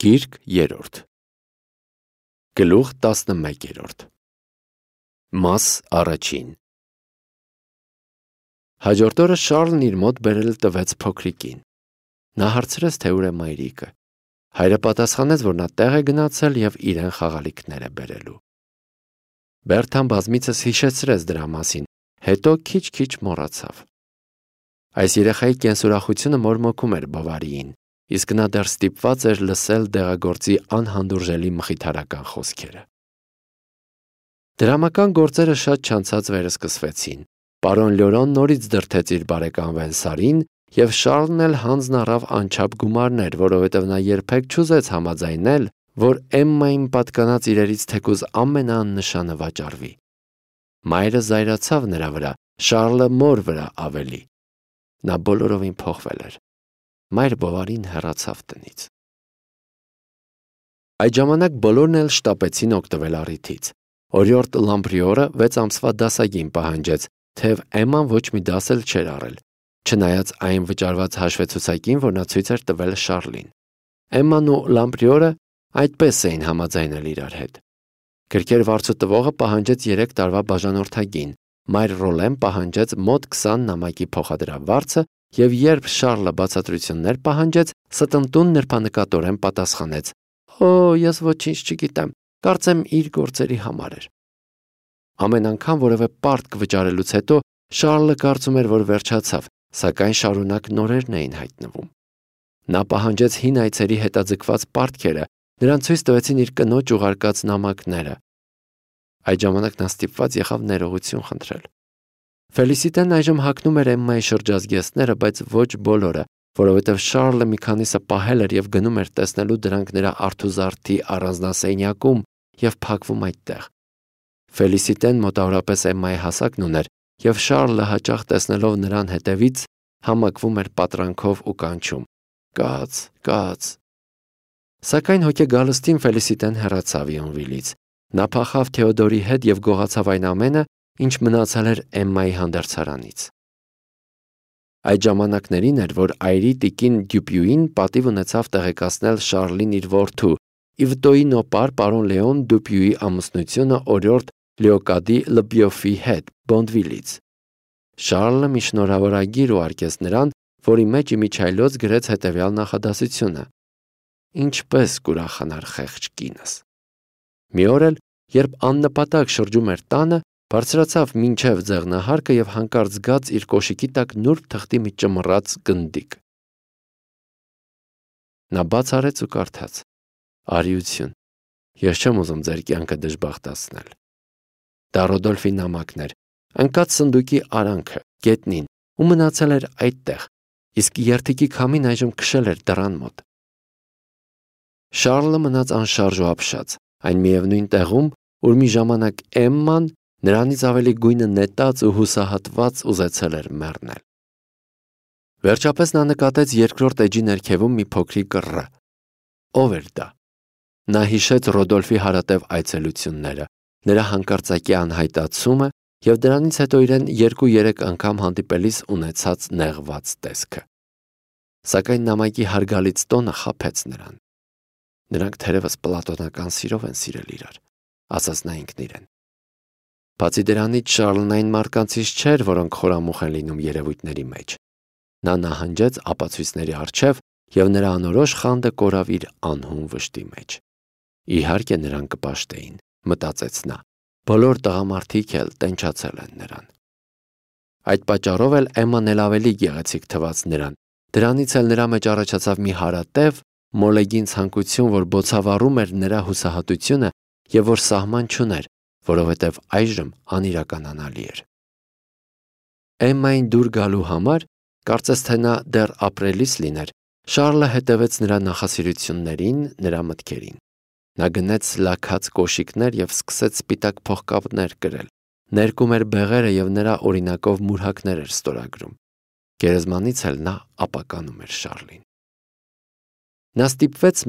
Գիրք 3 Գլուխ 11 Մաս առաջին Հաջորդ օրը Շարլն իր մոտ բերել տվեց փոքրիկին։ Նա հարցրեց, թե ուր է մայրիկը։ Հայրը պատասխանեց, որ նա տեղ է գնացել և իրեն խաղալիքներ է բերելու։ Բերթան բազմիցս հիշեցրեց դրա մասին, հետո քիչ-քիչ մոռացավ։ Այս երեխայի կենսուրախությունը մորմոքում էր Բովարիին, իսկ նա դեռ ստիպված էր լսել դեղագործի անհանդուրժելի մխիթարական խոսքերը։ Դրամական գործերը շատ չանցած վերսկսվեցին։ Պարոն Լյորոն նորից դրդեց իր բարեկամ Վենսարին, և Շարլն էլ հանձն առավ անչափ գումարներ, որովհետև նա երբեք չուզեց համաձայնել, որ Էմմային պատկանած իրերից թեկուզ ամենաաննշանը վաճառվի։ Մայրը զայրացավ նրա վրա, Շարլը մոր վրա ավելի։ Նա բոլորովին փոխվել էր։ Մայր Բովարին հեռացավ տնից։ Այդ ժամանակ բոլորն էլ շտապեցին օգտվել առիթից։ Օրիորդ Լամպրիորը 6 ամսվա դասագին պահանջեց, թեև Էմման ոչ մի դաս էլ չէր առել, չնայած այն վճարված հաշվեցուցակին, որ նա ցույց էր տվել Շարլին։ Էմման ու Լամպրիորը այդպես էին համաձայնել իրար հետ։ Գրքեր վարձու տվողը պահանջեց 3 տարվա բաժանորդագին, մայր Ռոլեն պահանջեց մոտ 20 նամակի փոխադրավարձը, և երբ Շարլը բացատրություններ պահանջեց, ստմտուն նրբանկատորեն պատասխանեց. «Օ, ես ոչինչ չգիտեմ, կարծեմ իր գործերի համար էր»։ Ամեն անգամ որևէ պարտք վճարելուց հետո Շարլը կարծում էր, որ վերջացավ, սակայն շարունակ նորերն էին հայտնվում։ Նա պահանջեց հին այցերի հետաձգված պարտքերը, նրան ցույց տվեցին իր կնոջ ուղարկած նամակները։ Այդ ժամանակ նա ստիպված եղավ ներողություն խնդրել։ Ֆելիսիտեն այժմ հագնում էր Էմմայի շրջազգեստները, բայց ոչ բոլորը, որովհետև Շարլը մի քանիսը պահել էր և գնում էր տեսնելու դրանք նրա արթուզարդի առանձնասենյակում և փակվում այդտեղ։ Ֆելիսիտեն մոտավորապես Էմմայի հասակն ուներ, և Շարլը հաճախ տեսնելով նրան հետևից համակվում էր պատրանքով ու կանչում. «Կաց, կաց»։ Սակայն հոգեգալստին Ֆելիսիտեն հեռացավ Յոնվիլից։ Նա փախավ Թեոդորի հետ և գողացավ այն ամենը, ինչ մնացել էր Էմմայի հանդերձարանից։ Այդ ժամանակներին էր, որ այրի տիկին Դյուպյուին պատիվ ունեցավ տեղեկացնել Շարլին իր որդու Իվտոյի նոպար պարոն Լեոն Դյուպյուի ամուսնությունը օրիորդ Լեոկադի Լբիոֆի հետ Բոնդվիլից։ Շարլը մի շնորհավորագիր ուղարկեց նրան, որի մեջ իմիջիայլոց գրեց հետևյալ նախադասությունը. «Ինչպես կուրախանար խեղճ կինս»։ Մի օր էլ, երբ աննպատակ շրջում էր տանը, բարձրացավ մինչև ձեղնահարկը և հանկարծ զգաց իր կոշիկի տակ նուրբ թղթի մի ճմռած գնդիկ։ Նա բաց արեց ու կարդաց. «Արիություն, ես չեմ ուզում ձեր կյանքը դժբախտացնել»։ Դա Ռոդոլֆի նամակն էր, ընկած սնդուկի արանքը, գետնին, ու մնացել էր այդտեղ, իսկ երթիկի քամին այժմ քշել էր դռան մոտ։ Շարլը մնաց անշարժ ու ապշած, այն միևնույն տեղում, ուր մի ժամանակ Էմման նրանից ավելի գույնը նետած ու հուսահատված ուզեցել էր մեռնել։ Վերջապես նա նկատեց երկրորդ էջի ներքևում մի փոքրիկ ռ։ Ո՞վ էր դա։ Նա հիշեց Ռոդոլֆի հարատև այցելությունները, նրա հանկարծակի անհայտացումը և դրանից հետո իրեն 2-3 անգամ հանդիպելիս ունեցած նեղված տեսքը։ Սակայն նամակի հարգալից տոնը խաբեց նրան։ Նրանք թերևս պլատոնական սիրով են սիրել իրար, ասաց նա ինքն իրեն։ Բացի դրանից Շարլն այն մարդկանցից չէր, որոնք խորամուխ են լինում երևույթների մեջ։ Նա նահանջեց ապացույցների առջև, և նրա անորոշ խանդը կորավ իր անհուն վշտի մեջ։ Իհարկե նրան կպաշտեին, մտածեց նա, բոլոր տղամարդիկ էլ տենչացել են նրան։ Այդ պատճառով էլ Էմման էլ ավելի գեղեցիկ թվաց նրան, դրանից էլ նրա մեջ առաջացավ մի հարատև, մոլեգին ցանկություն, որ բոցավառում էր նրա հուսահատությունը և որ սահման չուներ, որովհետև այժմ անիրականանալի էր։ Էմմային դուր գալու համար, կարծես թե նա դեռ ապրելիս լիներ, Շարլը հետևեց նրա նախասիրություններին, նրա մտքերին։ Նա գնեց լաքած կոշիկներ և սկսեց սպիտակ փողկապներ կրել, ներկում էր բեղերը և նրա օրինակով մուրհակներ էր ստորագրում։ Գերեզմանից էլ նա ապականում էր Շարլին։ Նա ստիպվեց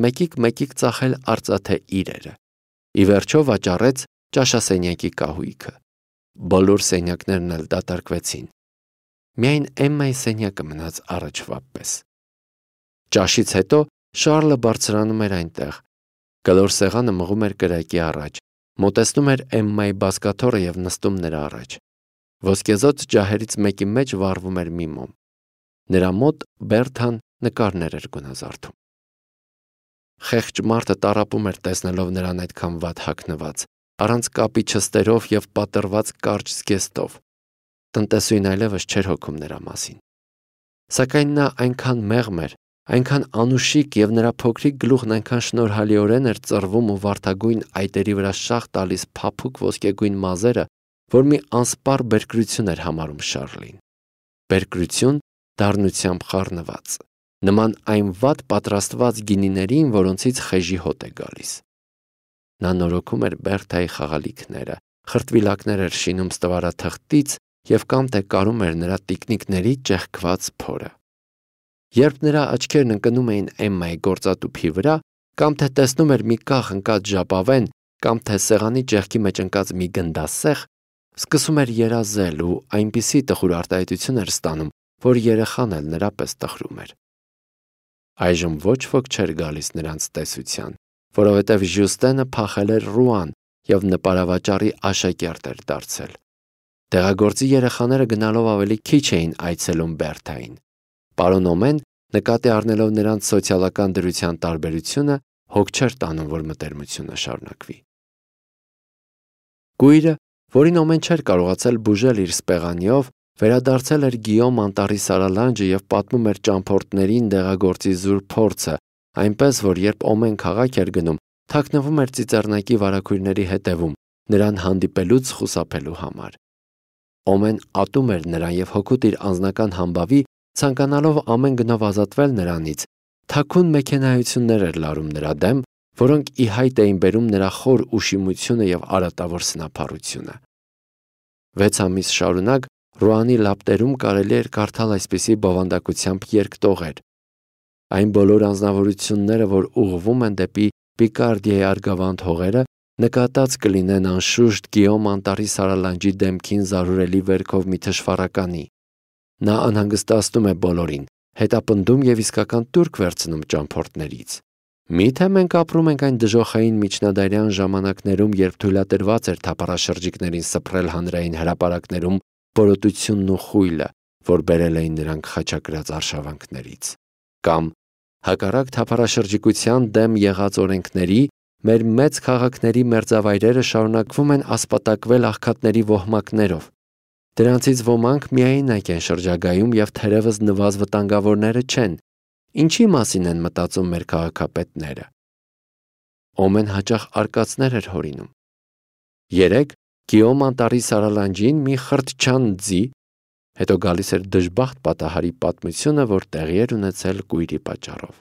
մեկիկ ծախել արծաթե իրերը։ Ի վերջո վաճառեց ճաշասենյակի կահույքը։ Բոլոր սենյակներն էլ դատարկվեցին։ Միայն Էմմայի սենյակը մնաց առաջվա պես։ Ճաշից հետո Շարլը բարձրանում էր այնտեղ։ Կլոր սեղանը մղում էր կրակի առաջ, մոտեցնում էր Էմմայի բազկաթոռը և նստում նրա առաջ։ Ոսկեզօծ ջահերից մեկի մեջ վառվում էր մի մոմ։ Նրա մոտ Բերթան նկարներ էր գունազարդում։ Խեղճ մարդը տառապում էր տեսնելով նրան այդքան վատ հագնված, առանց կապի չստերով և պատռված կարճ զգեստով։ Տնտեսուհին այլևս չէր հոգում նրա մասին։ Սակայն նա այնքան մեղմ էր, այնքան անուշիկ և նրա փոքրիկ գլուխն այնքան շնորհալիորեն էր ծռվում ու վարդագույն այտերի վրա շաղ տալիս փափուկ ոսկեգույն մազերը, որ մի անսպառ բերկրություն էր համարում Շարլին։ Բերկրություն դառնությամբ խառնված, նման այն վատ պատրաստված գինիներին, որոնցից խեժի հոտ է գալիս։ Նա նորոգում էր Բերթայի խաղալիքները, խրտվիլակներ էր շինում ստվարաթղթից և կամ թե կարում էր նրա տիկնիկների ճեղքված փորը։ Երբ նրա աչքերն ընկնում էին Էմմայի գործատուփի վրա, կամ թե տեսնում էր մի կախ ընկած ժապավեն, կամ թե սեղանի ճեղքի մեջ ընկած մի գնդասեղ, սկսում էր երազել ու այնպիսի տխուր արտահայտություն էր ստանում, որ երեխան էլ նրա պես տխրում էր։ Այժմ ոչ ոք չէր գալիս նրանց տեսության, որովհետև Ժյուստենը փախել էր Ռուան և նպարավաճառի աշակերտ էր դարձել։ Տեղագործի երեխաները գնալով ավելի քիչ էին այցելում Բերթային։ Պարոն Օմեն, նկատի առնելով նրանց սոցիալական դրության տարբերությունը, հոգ չէր տանում, որ մտերմությունը շարունակվի։ Կույրը, որին Օմեն չէր կարողացել բուժել իր սպեղանիով, վերադարձել էր Գիյոմ անտառի սարալանջը և պատմում էր ճամփորդներին դեղագործի զուր փորձը, այնպես որ երբ Օմեն քաղաք էր գնում, թաքնվում էր ծիծեռնակի վարագույրների հետևում, նրան հանդիպելուց խուսափելու համար։ Օմեն ատում էր նրան և հօգուտ իր անձնական համբավի, ցանկանալով ամեն գնով ազատվել նրանից, թաքուն մեքենայություններ էր լարում նրա դեմ, որոնք ի հայտ էին բերում նրա խոր ուշիմությունը և արատավոր սնափառությունը։ 6 ամիս շարունակ Ռուանի լապտերում կարելի էր կարդալ այսպիսի բովանդակությամբ երկտողեր. այն բոլոր անձնավորությունները, որ ուղղվում են դեպի Պիկարդիայի արգավանդ հողերը, նկատած կլինեն անշուշտ Գիյոմ անտառի սարալանջի դեմքին զարուրելի վերքով մի թշվառականի։ Նա անհանգստացնում է բոլորին, հետապնդում և իսկական տուրք վերցնում ճամփորդներից։ Մի՞թե մենք ապրում ենք այն դժոխային միջնադարյան ժամանակներում, երբ թույլատրված էր թափառաշրջիկներին սփռել հանրային հրապարակներում բորոտությունն ու խույլը, որ բերել էին նրանք խաչակրած արշավանքներից։ Կամ հակառակ թափառաշրջիկության դեմ եղած օրենքների, մեր մեծ քաղաքների մերձավայրերը շարունակվում են ասպատակվել աղքատների ոհմակներով։ Դրանցից ոմանք միայնակ են շրջագայում և թերևս նվազ վտանգավորները չեն։ Ինչի մասին են մտածում մեր քաղաքապետները։ Օմեն հաճախ արկածներ էր հորինում։ Երեկ Գիյոմ անտառի սարալանջին մի խրտչան ձի, հետո գալիս էր դժբախտ պատահարի պատմությունը, որ տեղի էր ունեցել կույրի պատճառով։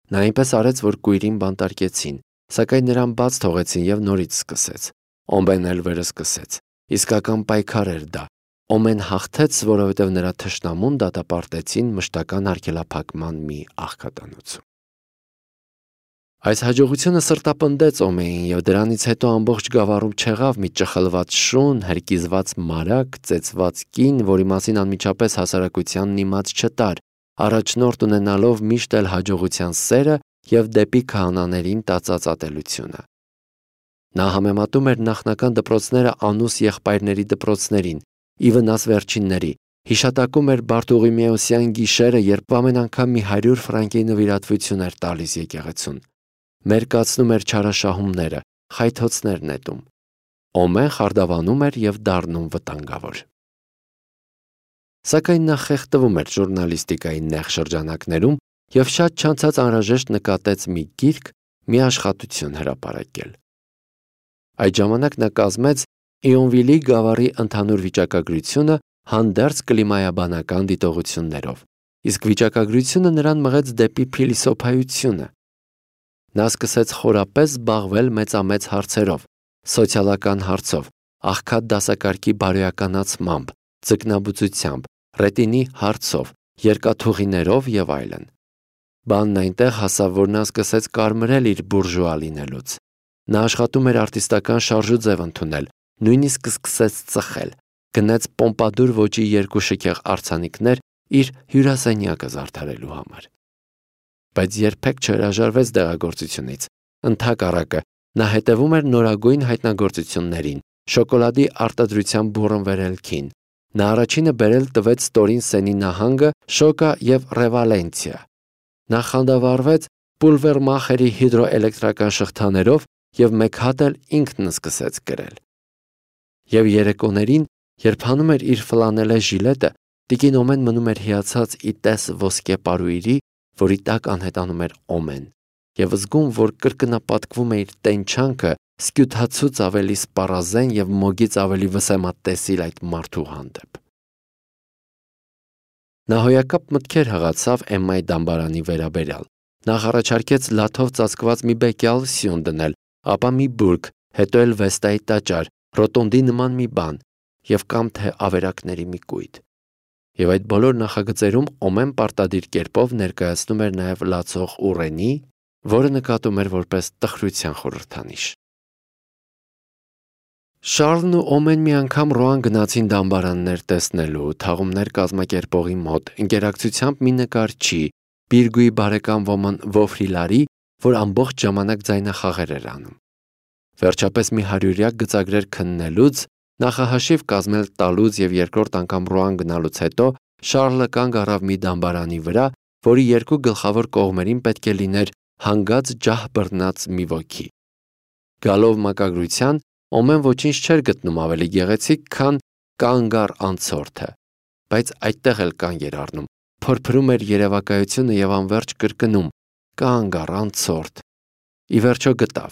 Նա այնպես արեց, որ կույրին բանտարկեցին, սակայն նրան բաց թողեցին և նորից սկսեց։ Օմեն էլ վերսկսեց։ Իսկական պայքար էր դա։ Օմեն հաղթեց, որովհետև նրա թշնամուն դատապարտեցին մշտական արգելափակման մի աղքատանոցում։ Այս հաջողությունը սրտապնդեց Օմեին և դրանից հետո ամբողջ գավառում չեղավ մի ճխլված շուն, հրկիզված մարակ, ծեծված կին, որի մասին անմիջապես հասարակությանն իմաց չտար, առաջնորդ ունենալով միշտ էլ հաջողության սերը և դեպի քահանաներին տածած ատելությունը։ Նա համեմատում էր նախնական դպրոցները անուս եղբայրների դպրոցներին, ի վնաս վերջինների, հիշատակում էր Բարտուղիմեոսյան գիշերը, երբ ամեն անգամ մի 100 ֆրանկի նվիրատվություն էր տալիս եկեղեցուն։ Մերկացնում էր չարաշահումները, խայթոցներ նետում։ Օմեն խարդավանում էր և դառնում վտանգավոր։ Սակայն նա խեղդվում էր ժուրնալիստիկայի նեղ շրջանակներում և շատ չանցած անհրաժեշտ նկատեց մի գիրք, մի աշխատություն հրապարակել։ Այդ ժամանակ նա կազմեց Իոնվիլի գավառի ընդհանուր վիճակագրությունը հանդերձ կլիմայաբանական դիտողություններով, իսկ վիճակագրությունը նրան մղեց դեպի փիլիսոփայությունը։ Նա սկսեց խորապես զբաղվել մեծամեծ հարցերով, սոցիալական հարցով, աղքատ դասակարգի բարոյականացմամբ, ձկնաբուծությամբ, ռետինի հարցով, երկաթուղիներով եւ այլն։ Բանն այնտեղ հասավ, որ նա սկսեց կարմրել իր բուրժուա լինելուց։ Նա աշխատում էր արտիստական շարժուձև ընդունել, նույնիսկ սկսեց ծխել, գնեց պոմպադուր ոճի 2 շքեղ արձանիկներ իր հյուրասենյակը զարդարելու համար։ բայց երբեք չհրաժարվեց դեղագործությունից։ Ընդհակառակը, նա հետևում էր նորագույն հայտնագործություններին, շոկոլադի արտադրության բուռն վերելքին։ Նա առաջինը բերել տվեց ստորին սենի նահանգը, Շոկա և Ռեվալենցիա։ Նա խանդավառվեց Պուլվերմախերի հիդրոէլեկտրական շղթաներով և մեկ հատ էլ ինքն սկսեց կրել։ Եվ երեկոներին, երբ հանում էր իր ֆլանելե ժիլետը, տիկին Օմեն մնում էր հիացած ի տես ոսկե պարույրի, որի տակ անհետանում էր Օմեն, և զգում, որ կրկնապատկվում է իր տենչանքը սկյութացուց ավելի սպառազեն և մոգից ավելի վսեմատեսիլ այդ մարդու հանդեպ։ Նա հոյակապ մտքեր հղացավ Էմմայի դամբարանի վերաբերյալ։ Նախ առաջարկեց լաթով ծածկված մի բեկյալ սյուն դնել, ապա մի բուրգ, հետո էլ Վեստայի տաճար, ռոտոնդի նման մի բան և կամ թե ավերակների մի կույտ։ Եվ այդ բոլոր նախագծերում Օմեն պարտադիր կերպով ներկայացնում էր նաև լացող ուռենի, որը նկատում էր որպես տխրության խորհրդանիշ։ Շառլն ու Օմեն մի անգամ Ռոան գնացին դամբարաններ տեսնելու, թաղումներ կազմակերպողի մոտ, ընկերակցությամբ մի նկարչի, Բիրգուի բարեկամ ոմն Վոֆրիլարի, որ ամբողջ ժամանակ ձայնախաղեր էր անում։ Վերջապես մի հարյուրյակ գծագրեր քննելուց, նախահաշիվ կազմել տալուց և երկրորդ անգամ Ռոան գնալուց հետո Շառլը կանգ առավ մի դամբարանի վրա, որի երկու գլխավոր կողմերին պետք է լիներ հանգած ջահ բռնած մի ոգի։ Գալով մակագրության, Օմեն ոչինչ չէր գտնում ավելի գեղեցիկ, քան «Կանգ առ անցորդը», բայց այդտեղ էլ կանգ էր առնում, փորփրում էր երևակայությունը և անվերջ կրկնում. «Կանգ առ անցորդ»։ Ի վերջո գտավ.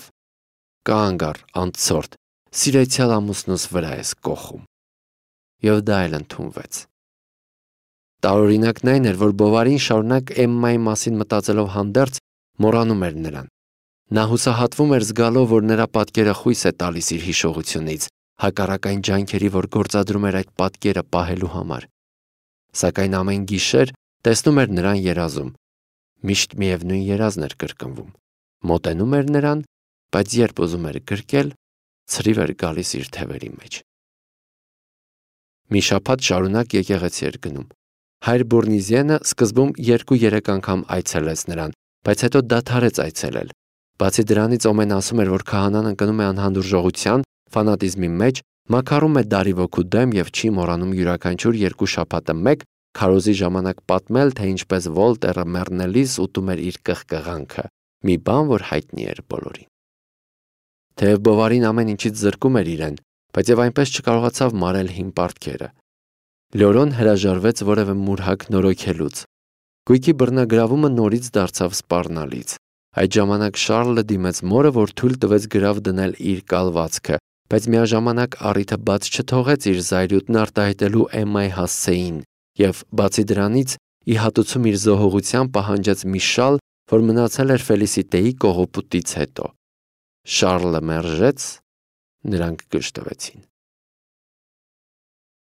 «Կանգ առ անցորդ, սիրեցյալ ամուսնուս վրա ես կոխում»։ Եվ դա էլ ընդունվեց։ Տարօրինակն այն էր, որ Բովարին շարունակ Էմմայի մասին մտածելով հանդերձ մոռանում էր նրան։ Նա հուսահատվում էր զգալով, որ նրա պատկերը խույս է տալիս իր հիշողությունից, հակառակ այն ջանքերի, որ գործադրում էր այդ պատկերը պահելու համար։ Սակայն ամեն գիշեր տեսնում էր նրան երազում։ Միշտ միևնույն երազն էր կրկնվում։ Մոտենում էր նրան, բայց երբ ուզում էր գրկել, ցրիվ էր գալիս իր թևերի մեջ։ Մի շաբաթ շարունակ եկեղեցի էր գնում։ Հայր Բուրնիզյենը սկզբում 2-3 անգամ այցելեց նրան, բայց հետո դադարեց այցելել։ Բացի դրանից Օմեն ասում էր, որ քահանան ընկնում է անհանդուրժողության, ֆանատիզմի մեջ, մաքարում է դարիվոքու դեմ և չի մոռանում յուրաքանչյուր 2 շաբաթը մեկ քարոզի ժամանակ պատմել, թե ինչպես Վոլտերը մեռնելիս ուտում էր իր կղկղանքը, մի բան, որ հայտնի էր բոլորին։ Թեև Բովարին ամեն ինչից զրկում էր իրեն, բայց և այնպես չկարողացավ մարել հին պարտքերը։ Լյորոն հրաժարվեց որևէ մուրհակ նորոգելուց։ Գույքի բռնագրավումը նորից դարձավ սպառնալից։ Այդ ժամանակ Շառլը դիմեց մորը, որ թույլ տվեց գրավ դնել իր կալվածքը, բայց միաժամանակ առիթը բաց չթողեց իր զայրույթն արտահայտելու Էմմայի հասցեին և, բացի դրանից, ի հատուցում իր զոհողության պահանջեց մի շալ, որ մնացել էր Ֆելիսիտեի կողոպուտից հետո։ Շառլը մերժեց, նրանք գժտվեցին։